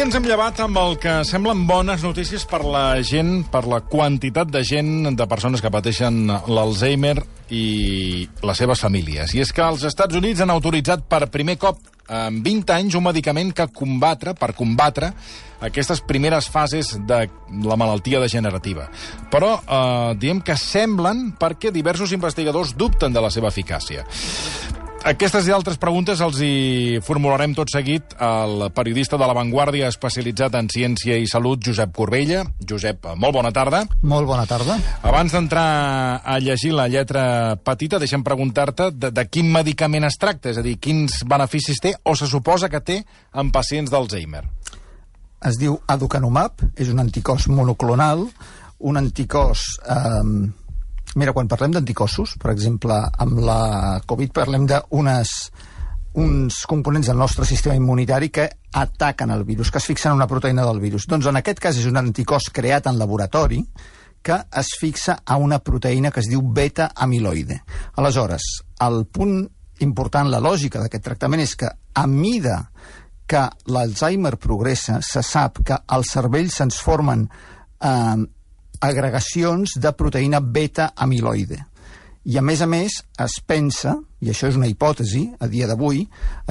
ens hem llevat amb el que semblen bones notícies per la gent, per la quantitat de gent, de persones que pateixen l'Alzheimer i les seves famílies. I és que els Estats Units han autoritzat per primer cop en 20 anys un medicament per combatre aquestes primeres fases de la malaltia degenerativa. Però diem que semblen perquè diversos investigadors dubten de la seva eficàcia. Aquestes i altres preguntes els hi formularem tot seguit al periodista de La Vanguardia especialitzat en ciència i salut, Josep Corbella. Josep, molt bona tarda. Molt bona tarda. Abans d'entrar a llegir la lletra petita, deixa'm preguntar-te de quin medicament es tracta, és a dir, quins beneficis té o se suposa que té en pacients d'Alzheimer. Es diu aducanumab, és un anticòs monoclonal, un anticòs... Mira, quan parlem d'anticossos, per exemple, amb la Covid parlem d'uns components del nostre sistema immunitari que ataquen el virus, que es fixen en una proteïna del virus. Doncs en aquest cas és un anticòs creat en laboratori que es fixa a una proteïna que es diu beta-amiloide. Aleshores, el punt important, la lògica d'aquest tractament és que a mida que l'Alzheimer progressa, se sap que al cervell se'ns formen agregacions de proteïna beta-amiloide. I a més, es pensa, i això és una hipòtesi a dia d'avui,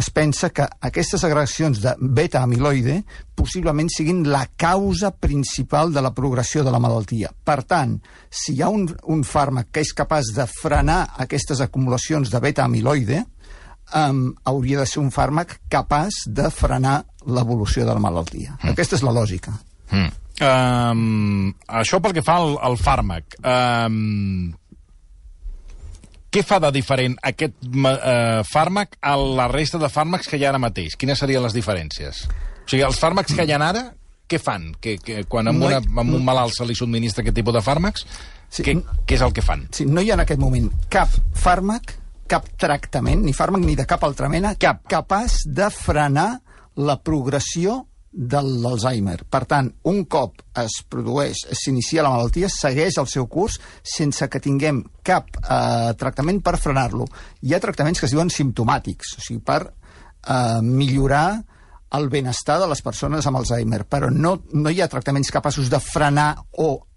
es pensa que aquestes agregacions de beta-amiloide possiblement siguin la causa principal de la progressió de la malaltia. Per tant, si hi ha un fàrmac que és capaç de frenar aquestes acumulacions de beta-amiloide, hauria de ser un fàrmac capaç de frenar l'evolució de la malaltia. Aquesta és la lògica. Això pel que fa al fàrmac. Què fa de diferent aquest fàrmac a la resta de fàrmacs que hi ha ara mateix? Quines serien les diferències? O sigui, els fàrmacs que hi ha ara, què fan? Quan a un malalt se li subministra aquest tipus de fàrmacs, què és el que fan? Sí, no hi ha en aquest moment cap fàrmac, cap tractament, ni fàrmac ni de cap altra mena, capaç de frenar la progressió de l'Alzheimer. Per tant, un cop s'inicia la malaltia, segueix el seu curs sense que tinguem cap tractament per frenar-lo. Hi ha tractaments que es diuen simptomàtics, o sigui, per millorar el benestar de les persones amb Alzheimer, però no hi ha tractaments capaços de frenar o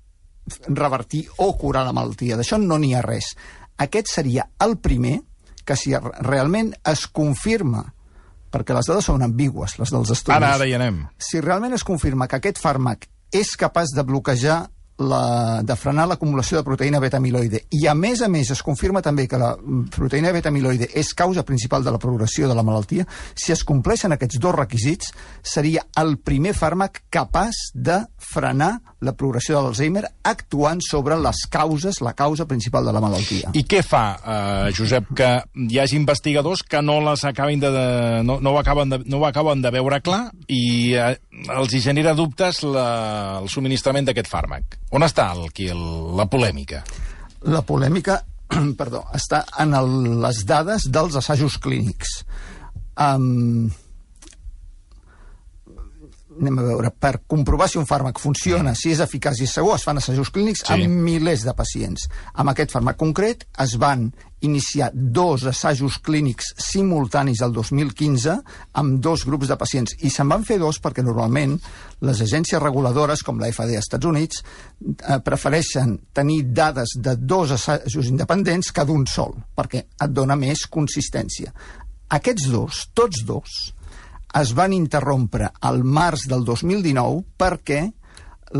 revertir o curar la malaltia. D'això no n'hi ha res. Aquest seria el primer que, si realment es confirma, perquè les dades són ambigües, les dels estudis. Ara hi anem. Si realment es confirma que aquest fàrmac és capaç de bloquejar, de frenar l'acumulació de proteïna beta-amiloide, i a més es confirma també que la proteïna beta-amiloide és causa principal de la progressió de la malaltia, si es compleixen aquests dos requisits, seria el primer fàrmac capaç de frenar la progressió de l'Alzheimer actuant sobre les causes, la causa principal de la malaltia. I què fa, Josep, que hi hagi investigadors que no ho acaben de veure clar i els hi genera dubtes el subministrament d'aquest fàrmac? On està la polèmica? La polèmica, està en les dades dels assajos clínics. Anem a veure, per comprovar si un fàrmac funciona, si és eficaç i segur, es fan assajos clínics amb milers de pacients. Amb aquest fàrmac concret es van iniciar 2 assajos clínics simultanis el 2015 amb 2 grups de pacients. I se'n van fer 2 perquè normalment les agències reguladores, com la FDA als Estats Units, prefereixen tenir dades de 2 assajos independents que d'un sol, perquè et dona més consistència. Aquests 2, tots 2, es van interrompre al març del 2019 perquè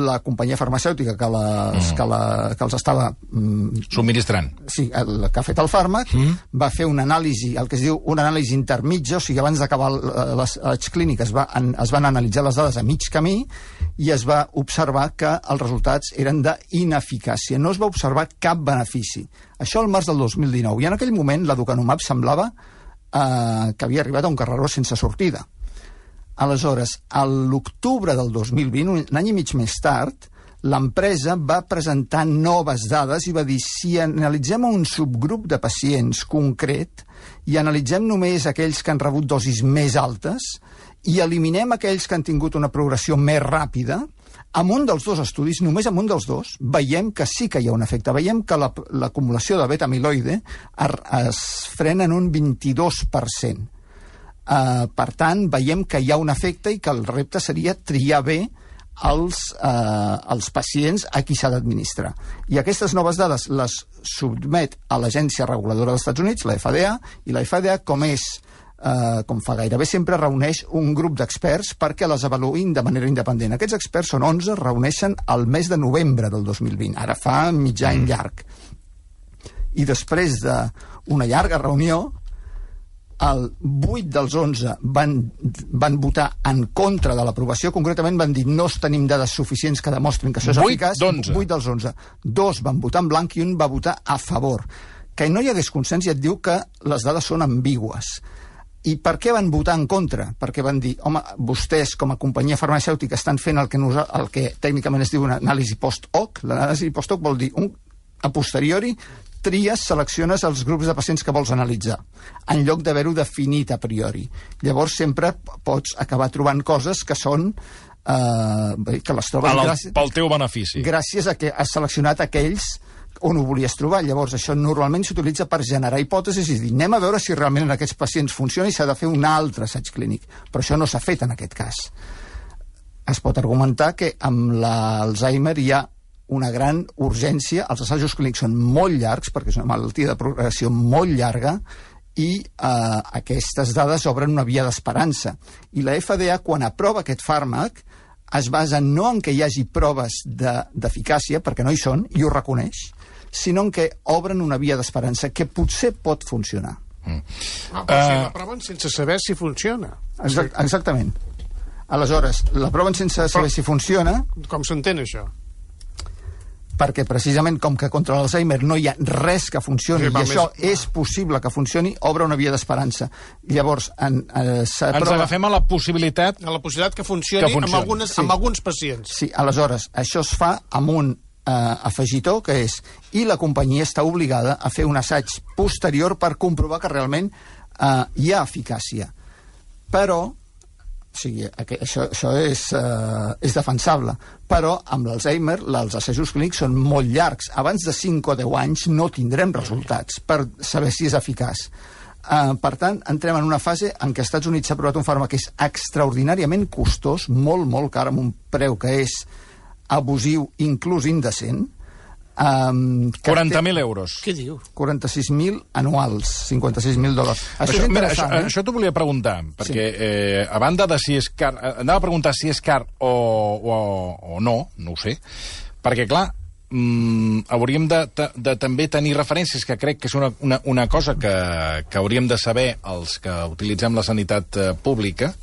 la companyia farmacèutica que els estava subministrant, sí, que ha fet el fàrmac, va fer una anàlisi, el que es diu una anàlisi intermitja, o sigui, abans d'acabar les clíniques es van analitzar les dades a mig camí i es va observar que els resultats eren d'ineficàcia. No es va observar cap benefici. Això al març del 2019. I en aquell moment l'aducanumab semblava que havia arribat a un carreró sense sortida. Aleshores, a l'octubre del 2020, un any i mig més tard, l'empresa va presentar noves dades i va dir, si analitzem un subgrup de pacients concret i analitzem només aquells que han rebut dosis més altes i eliminem aquells que han tingut una progressió més ràpida, amb un dels 2 estudis, només amb un dels 2, veiem que sí que hi ha un efecte. Veiem que l'acumulació de beta-amiloide es frena en un 22%. Per tant, veiem que hi ha un efecte i que el repte seria triar bé els pacients a qui s'ha d'administrar. I aquestes noves dades les submet a l'Agència Reguladora dels Estats Units, la FDA, i la FDA, com fa gairebé sempre, reuneix un grup d'experts perquè les avaluïn de manera independent. Aquests experts són 11, reuneixen el mes de novembre del 2020, ara fa mig any llarg. I després d'una llarga reunió, el 8 dels 11 van votar en contra de l'aprovació, concretament van dir no tenim dades suficients que demostrin que això és eficaç. 8 dels 11. 2 van votar en blanc i un va votar a favor. Que no hi hagués consens ja et diu que les dades són ambigües. I per què van votar en contra? Perquè van dir, home, vostès com a companyia farmacèutica estan fent el que tècnicament es diu una anàlisi post-hoc. L'anàlisi post-hoc vol dir a posteriori tries, selecciones els grups de pacients que vols analitzar, en lloc d'haver-ho definit a priori. Llavors sempre pots acabar trobant coses que són que les trobes pel teu benefici. Gràcies a que has seleccionat aquells on ho volies trobar. Llavors això normalment s'utilitza per generar hipòtesis i dir, anem a veure si realment en aquests pacients funciona i s'ha de fer un altre assaig clínic. Però això no s'ha fet en aquest cas. Es pot argumentar que amb l'Alzheimer hi ha una gran urgència, els assajos clínics són molt llargs perquè és una malaltia de progressió molt llarga i aquestes dades obren una via d'esperança. I la FDA, quan aprova aquest fàrmac, es basa no en que hi hagi proves d'eficàcia, perquè no hi són, i ho reconeix, sinó en que obren una via d'esperança que potser pot funcionar. Però si l'aproven sense saber si funciona. Exactament. Aleshores, l'aproven sense saber si funciona... Com s'entén això? Perquè precisament com que contra l'Alzheimer no hi ha res que funcioni i això és possible que funcioni, obre una via d'esperança. Llavors, ens agafem a la possibilitat... A la possibilitat que funcioni. Amb alguns pacients. Sí, aleshores, això es fa amb un afegitó, que és i la companyia està obligada a fer un assaig posterior per comprovar que realment hi ha eficàcia. Però... O sigui, això és defensable, però amb l'Alzheimer els assajos clínics són molt llargs. Abans de 5 o 10 anys no tindrem resultats per saber si és eficaç. Per tant, entrem en una fase en què als Estats Units s'ha aprovat un fàrmac que és extraordinàriament costós, molt, molt car, amb un preu que és abusiu, inclús indecent. 40.000 euros. Què diu? 46.000 anuals, $56.000. Això és interessant, Això t'ho volia preguntar, perquè a banda de si és car... Anava a preguntar si és car o no ho sé, perquè, clar, hauríem de també tenir referències, que crec que és una cosa que hauríem de saber els que utilitzem la sanitat pública,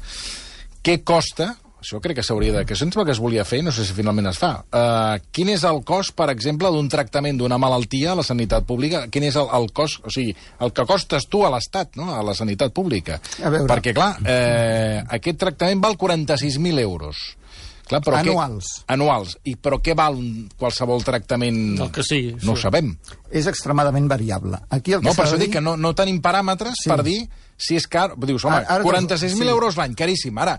què costa... Això crec que s'hauria de... Que sembla que es volia fer, no sé si finalment es fa. Quin és el cost, per exemple, d'un tractament d'una malaltia a la sanitat pública? Quin és el cost, o sigui, el que costes tu a l'Estat, no?, a la sanitat pública? Perquè, clar, aquest tractament val 46.000 euros. Clar, però anuals. Però què val qualsevol tractament? El que sigui. No ho sabem. És extremadament variable. Aquí el que per això dic que no tenim paràmetres per dir si és car. Dius, home, 46.000 euros l'any, caríssim. Ara,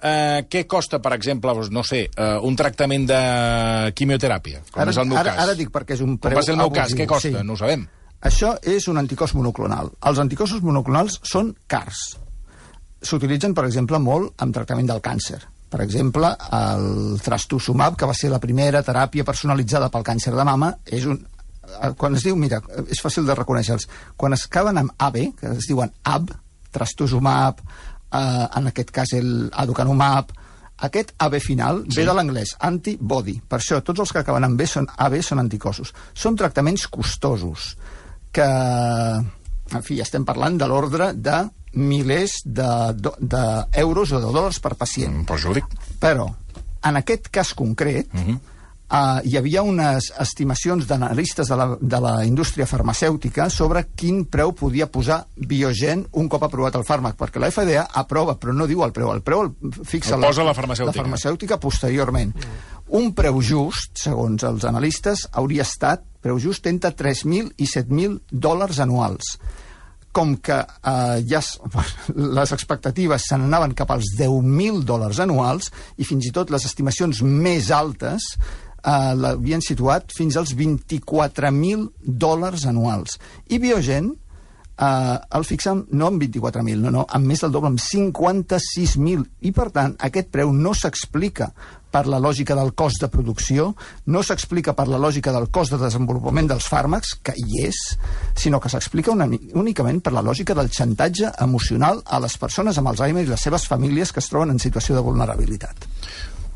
què costa, per exemple, no sé, un tractament de quimioteràpia, com és el meu cas? Ara dic perquè és un preu abusiu. Com va ser el meu cas, què costa? No ho sabem. Això és un anticòs monoclonal. Els anticossos monoclonals són cars. S'utilitzen, per exemple, molt en tractament del càncer. Per exemple, el trastuzumab, que va ser la primera teràpia personalitzada pel càncer de mama, és un... Quan es diu, mira, és fàcil de reconèixer-los. Quan es acaben amb AB, que es diuen AB, trastuzumab, en aquest cas el aducanumab, aquest AB final ve de l'anglès, antibody. Per això, tots els que acaben amb AB són anticossos. Són tractaments costosos, que, en fi, estem parlant de l'ordre de milers d'euros o de dòlars per pacient. Però, en aquest cas concret, hi havia unes estimacions d'analistes de la indústria farmacèutica sobre quin preu podia posar Biogen un cop aprovat el fàrmac, perquè la FDA aprova, però no diu el preu el fixa la farmacèutica posteriorment. Un preu just, segons els analistes, hauria estat, preu just, entre $3.000 i $7.000 anuals. Com que les expectatives se n'anaven cap als $10.000 anuals i fins i tot les estimacions més altes l'havien situat fins als $24.000 anuals. I Biogen el fixen no amb 24.000, no, amb més del doble, amb 56.000. I, per tant, aquest preu no s'explica per la lògica del cost de producció, no s'explica per la lògica del cost de desenvolupament dels fàrmacs, que hi és, sinó que s'explica únicament per la lògica del xantatge emocional a les persones amb Alzheimer i les seves famílies que es troben en situació de vulnerabilitat.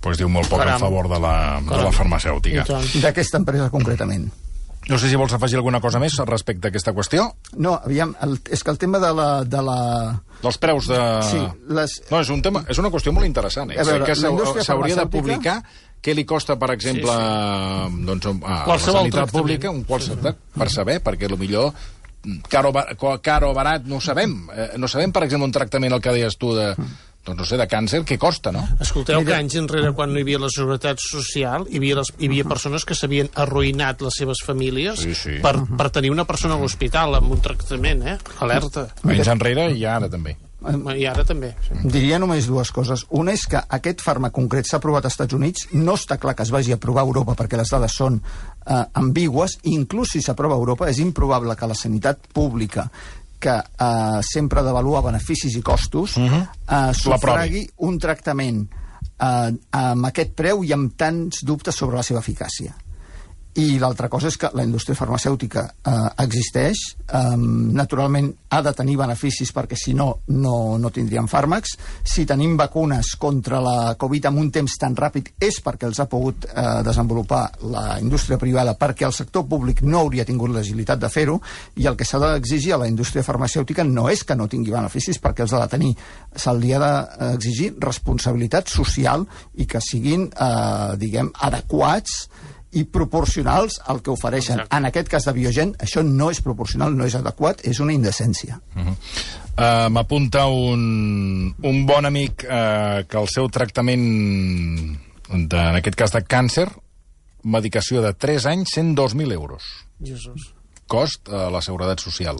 Pues diu molt poc en favor de la farmacèutica. D'aquesta empresa, concretament. No sé si vols afegir alguna cosa més respecte a aquesta qüestió. No, aviam, és que el tema de la... Dels preus de... Sí, no, és una qüestió molt interessant. Que s'hauria de publicar què li costa, per exemple, doncs, a la sanitat pública, per saber, perquè potser car o barat no ho sabem. No sabem, per exemple, un tractament, el que deies tu, doncs no sé, de càncer, què costa, no? Escolteu que anys enrere, quan no hi havia la seguretat social, hi havia persones que s'havien arruïnat les seves famílies per tenir una persona a l'hospital amb un tractament, alerta. Anys enrere i ara també. I ara també. Diria només dues coses. Una és que aquest fàrmac concret s'ha aprovat als Estats Units, no està clar que es vagi a aprovar a Europa perquè les dades són ambigües, i inclús si s'aprova a Europa és improbable que la sanitat pública, que sempre ha d'avaluar beneficis i costos, sufragui un tractament amb aquest preu i amb tants dubtes sobre la seva eficàcia. I l'altra cosa és que la indústria farmacèutica existeix, naturalment ha de tenir beneficis perquè si no, no tindríem fàrmacs. Si tenim vacunes contra la Covid en un temps tan ràpid és perquè els ha pogut desenvolupar la indústria privada, perquè el sector públic no hauria tingut l'agilitat de fer-ho, i el que s'ha d'exigir a la indústria farmacèutica no és que no tingui beneficis, perquè els ha de tenir. Se'ls ha d'exigir responsabilitat social i que siguin, diguem, adequats i proporcionals al que ofereixen. Exacte. En aquest cas de Biogen, això no és proporcional, no és adequat, és una indecència. M'apunta un bon amic que el seu tractament, en aquest cas de càncer, medicació de 3 anys, 102.000 euros. Jesús. Cost a la Seguretat Social.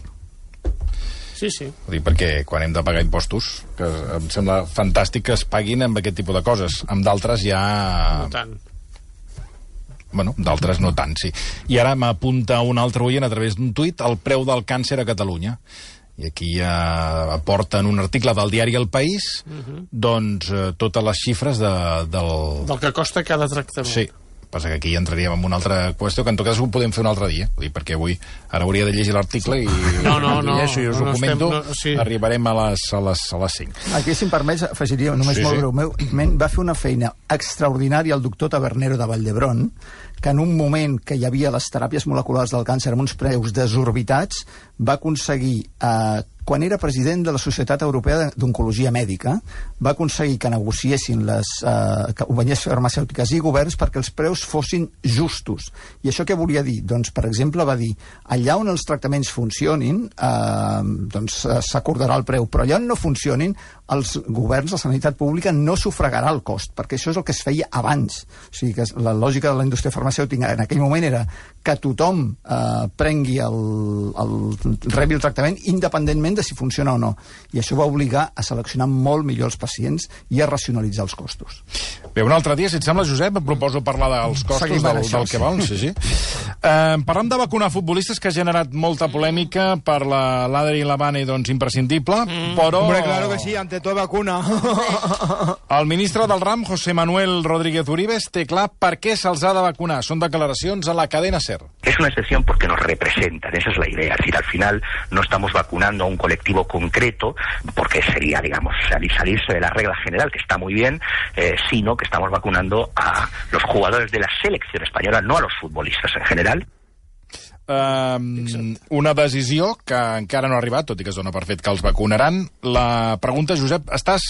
Sí, sí. Perquè quan hem de pagar impostos, que em sembla fantàstic que es paguin amb aquest tipus de coses. Amb d'altres ja... No tant. Bueno, d'altres no tant, sí. I ara m'apunta un altre oient a través d'un tuit el preu del càncer a Catalunya. I aquí aporten un article del diari El País, doncs totes les xifres del que costa cada tractament. Sí. Passa que aquí entraríem en una altra qüestió, que en tot cas ho podem fer un altre dia, perquè avui ara hauria de llegir l'article i llegeixo i us ho comento, arribarem a les 5. Aquí, si em permets, afegiria només molt breument, va fer una feina extraordinària el doctor Tabernero de Vall d'Hebron, que en un moment que hi havia les teràpies moleculars del càncer amb uns preus desorbitats, va aconseguir, quan era president de la Societat Europea d'Oncologia Mèdica, va aconseguir que negociessin les companyies farmacèutiques i governs perquè els preus fossin justos. I això què volia dir? Doncs, per exemple, va dir, allà on els tractaments funcionin, doncs s'acordarà el preu, però allà on no funcionin, els governs, la sanitat pública, no sufragarà el cost, perquè això és el que es feia abans. O sigui que la lògica de la indústria farmacèutica en aquell moment era que tothom prengui rebi el tractament independentment de si funciona o no. I això va obligar a seleccionar molt millor els pacients i a racionalitzar els costos. Bé, un altre dia, si et sembla, Josep, proposo parlar dels costos del que val. Sí. Parlant de vacunar futbolistes, que ha generat molta polèmica per l'Adri Lavane, doncs imprescindible, però... Hombre, claro que sí, ante todo vacuna. El ministre del RAM, José Manuel Rodríguez Uribes, té clar per què se'ls ha de vacunar. Són declaracions a la cadena SER. Es una excepción porque nos representan, esa es la idea. Es decir, al final no estamos vacunando a un colectivo concreto, porque sería, digamos, salirse de la regla general, que está muy bien, sino que estamos vacunando a los jugadores de la selección española, no a los futbolistas en general. Una decisió que encara no ha arribat, tot i que es dona per fet que els vacunaran. La pregunta, Josep, estàs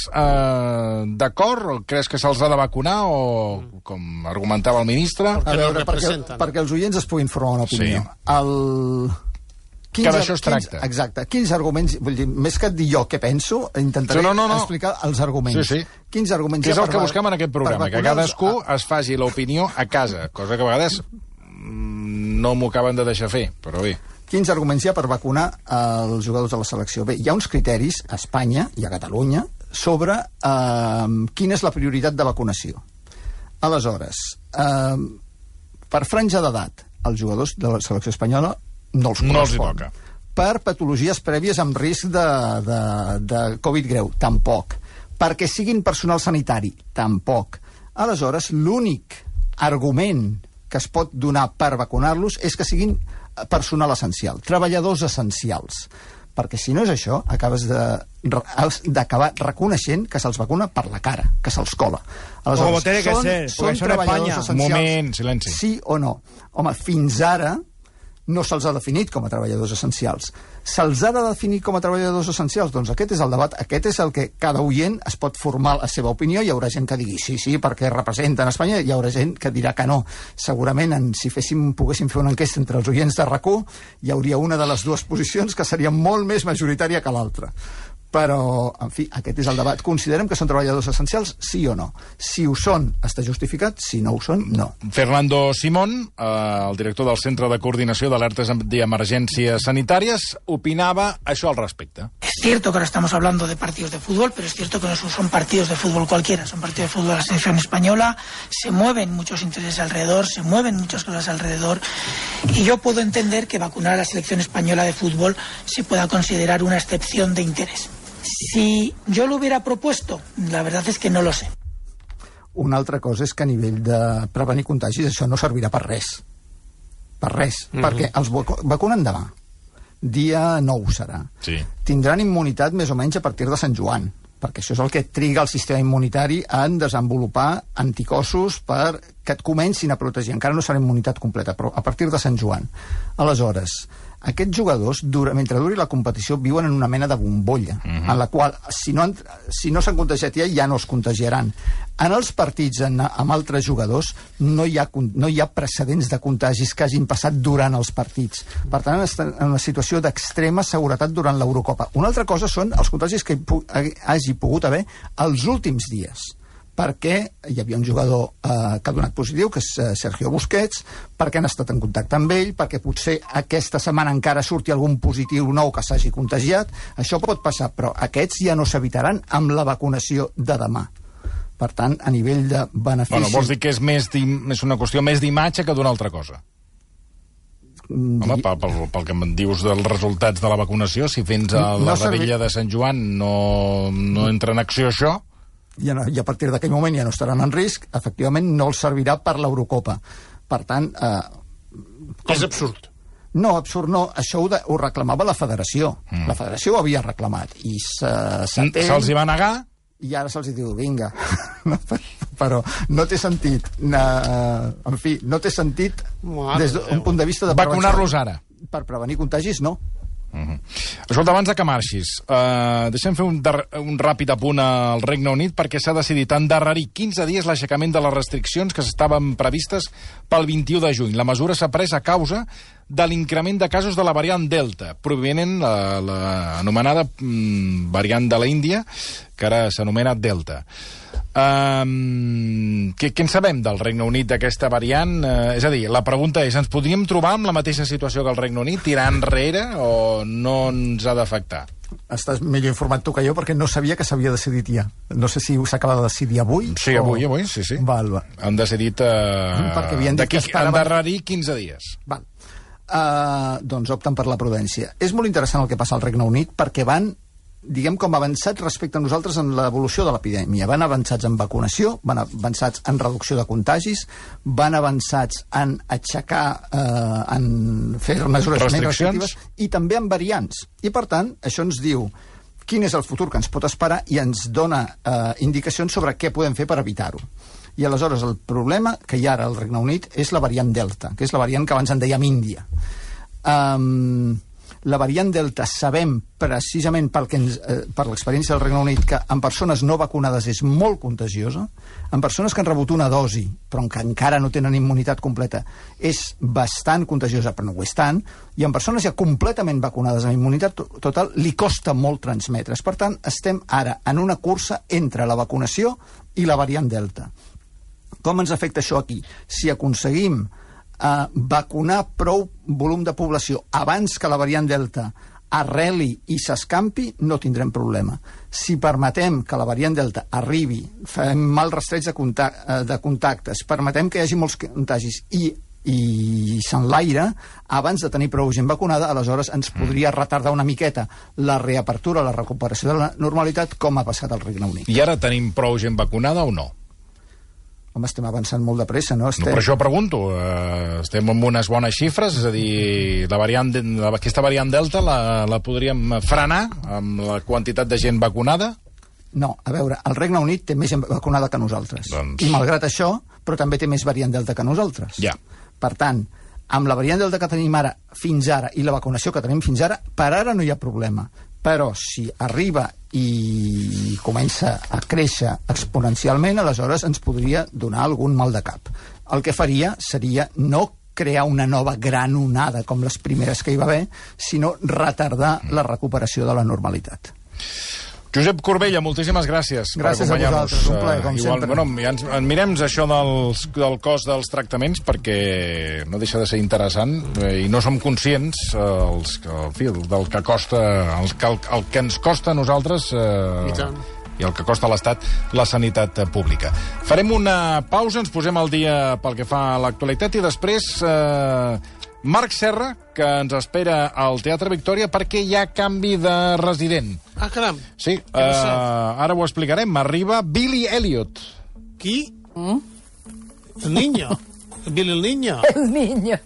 d'acord? Creus que se'ls ha de vacunar o, com argumentava el ministre? A veure, perquè els oients es puguin formar una opinió. Que d'això es tracta. Exacte. Quins arguments... Vull dir, més que dir jo què penso, intentaré explicar els arguments. Quins arguments hi ha? Que és el que busquem en aquest programa, que cadascú es faci l'opinió a casa, cosa que a vegades no m'ho acaben de deixar fer, però bé. Quins arguments hi ha per vacunar els jugadors de la selecció? Bé, hi ha uns criteris a Espanya i a Catalunya sobre quina és la prioritat de vacunació. Aleshores, per franja d'edat, els jugadors de la selecció espanyola no els correspon. per patologies prèvies amb risc de Covid greu? Tampoc. Perquè siguin personal sanitari? Tampoc. Aleshores, l'únic argument que es pot donar per vacunar-los és que siguin personal essencial, treballadors essencials. Perquè si no és això, acabes d'acabar reconeixent que se'ls vacuna per la cara, que se'ls cola. Aleshores, són treballadors essencials. Un moment, silenci. Sí o no? Home, fins ara no se'ls ha definit com a treballadors essencials. Se'ls ha de definir com a treballadors essencials? Doncs aquest és el debat, aquest és el que cada oient es pot formar la seva opinió. Hi haurà gent que digui sí, perquè representen Espanya, hi haurà gent que dirà que no. Segurament, si poguéssim fer una enquesta entre els oients de RAC1, hi hauria una de les dues posicions que seria molt més majoritària que l'altra. Però, en fi, aquest és el debat. Considerem que són treballadors essencials, sí o no? Si ho són, està justificat. Si no ho són, no. Fernando Simón, el director del Centre de Coordinació d'Alertes d'Emergències Sanitàries, opinava això al respecte. Es cierto que ahora estamos hablando de partidos de fútbol, pero es cierto que no son partidos de fútbol cualquiera, son partidos de fútbol de la selección española, se mueven muchos intereses alrededor, se mueven muchas cosas alrededor, y yo puedo entender que vacunar a la selección española de fútbol se pueda considerar una excepción de interés. Si yo lo hubiera propuesto, la verdad es que no lo sé. Una altra cosa és que a nivell de prevenir contagis això no servirà per res. Per res. Perquè els vacunen demà. Dia 9 serà. Sí. Tindran immunitat més o menys a partir de Sant Joan, perquè això és el que triga el sistema immunitari en desenvolupar anticossos perquè et comencin a protegir. Encara no serà immunitat completa, però a partir de Sant Joan. Aleshores, aquests jugadors, mentre duri la competició, viuen en una mena de bombolla, en la qual, si no s'han contagiat ja no es contagiaran. En els partits amb altres jugadors no hi ha precedents de contagis que hagin passat durant els partits. Per tant, estan en una situació d'extrema seguretat durant l'Eurocopa. Una altra cosa són els contagis que hagi pogut haver els últims dies, perquè hi havia un jugador que ha donat positiu, que és Sergio Busquets, perquè han estat en contacte amb ell, perquè potser aquesta setmana encara surti algun positiu nou que s'hagi contagiat. Això pot passar, però aquests ja no s'evitaran amb la vacunació de demà. Per tant, a nivell de benefici... Bueno, vols dir que és una qüestió més d'imatge que d'una altra cosa? Home, pel que em dius dels resultats de la vacunació, si fins a la revetlla de Sant Joan no entra en acció això... I a partir d'aquell moment ja no estaran en risc, efectivament no els servirà per l'Eurocopa. Per tant... És absurd. No, absurd no. Això ho reclamava la federació. La federació ho havia reclamat. I se'ls hi va negar? I ara se'ls diu, vinga. Però no té sentit. En fi, no té sentit des d'un punt de vista de prevenció. Vacunar-los ara. Per prevenir contagis, no. Escolta, abans que marxis, deixem fer un ràpid apunt al Regne Unit, perquè s'ha decidit endarrerir 15 dies l'aixecament de les restriccions que estaven previstes pel 21 de juny. La mesura s'ha pres a causa de l'increment de casos de la variant Delta, provinent l'anomenada variant de la Índia, que ara s'anomena Delta. Què en sabem del Regne Unit, d'aquesta variant? És a dir, la pregunta és, ens podríem trobar amb la mateixa situació que el Regne Unit, tirar enrere, o no ens ha d'afectar? Estàs millor informat tu que jo, perquè no sabia que s'havia decidit ja. No sé si s'acaba de decidir avui. Sí, avui, sí. Val. Han decidit endarrerir 15 dies. Val. Doncs opten per la prudència. És molt interessant el que passa al Regne Unit, perquè van, diguem, com avançats respecte a nosaltres en l'evolució de l'epidèmia. Van avançats en vacunació, van avançats en reducció de contagis, van avançats en aixecar, en fer mesures més restrictives, i també en variants. I, per tant, això ens diu quin és el futur que ens pot esperar i ens dona indicacions sobre què podem fer per evitar-ho. I aleshores el problema que hi ha ara al Regne Unit és la variant Delta, que és la variant que abans en dèiem Índia. La variant Delta sabem precisament per l'experiència del Regne Unit que en persones no vacunades és molt contagiosa, en persones que han rebut una dosi però que encara no tenen immunitat completa és bastant contagiosa però no ho és tant, i en persones ja completament vacunades amb immunitat total li costa molt transmetre's. Per tant, estem ara en una cursa entre la vacunació i la variant Delta. Com ens afecta això aquí? Si aconseguim vacunar prou volum de població abans que la variant Delta arreli i s'escampi, no tindrem problema. Si permetem que la variant Delta arribi, fem mal rastreig de contactes, permetem que hi hagi molts contagis i i s'enlaira, abans de tenir prou gent vacunada, aleshores ens podria retardar una miqueta la reapertura, la recuperació de la normalitat, com ha passat al Regne Unit. I ara tenim prou gent vacunada o no? Home, estem avançant molt de pressa, no? No, per això pregunto. Estem amb unes bones xifres, és a dir, aquesta variant Delta la podríem frenar amb la quantitat de gent vacunada? No, a veure, el Regne Unit té més gent vacunada que nosaltres. Doncs... I malgrat això, però també té més variant Delta que nosaltres. Ja. Per tant, amb la variant Delta que tenim ara, fins ara, i la vacunació que tenim fins ara, per ara no hi ha problema. Però si arriba i comença a créixer exponencialment, aleshores ens podria donar algun mal de cap. El que faria seria no crear una nova gran onada com les primeres que hi va haver, sinó retardar la recuperació de la normalitat. Josep Corbella, moltíssimes gràcies. Gràcies a vosaltres, un plaer, com sempre. Bueno, ja ens mirem això del cost dels tractaments, perquè no deixa de ser interessant, i no som conscients del que costa, el que ens costa a nosaltres i el que costa a l'Estat la sanitat pública. Farem una pausa, ens posem al dia pel que fa a l'actualitat, i després Marc Serra, que ens espera al Teatre Victòria perquè hi ha canvi de resident. Ah, caram. Sí, ara ho explicarem. Arriba Billy Elliot. Qui? El niño. Billy el niño. El niño.